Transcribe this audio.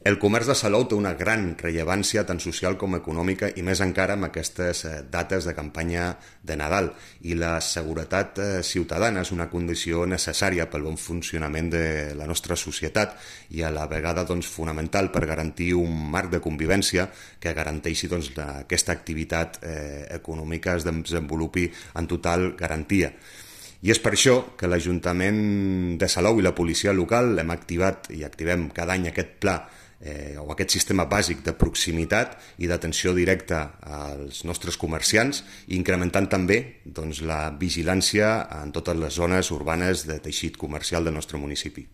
El comerç de Salou té una gran rellevància tant social com econòmica i més encara amb aquestes dates de campanya de Nadal. I la seguretat ciutadana és una condició necessària pel bon funcionament de la nostra societat i a la vegada fonamental per garantir un marc de convivència que garanteixi que aquesta activitat econòmica es desenvolupi en total garantia. I és per això que l'Ajuntament de Salou i la policia local hem activat i activem cada any aquest pla o aquest sistema bàsic de proximitat i d'atenció directa als nostres comerciants, incrementant també la vigilància en totes les zones urbanes de teixit comercial del nostre municipi.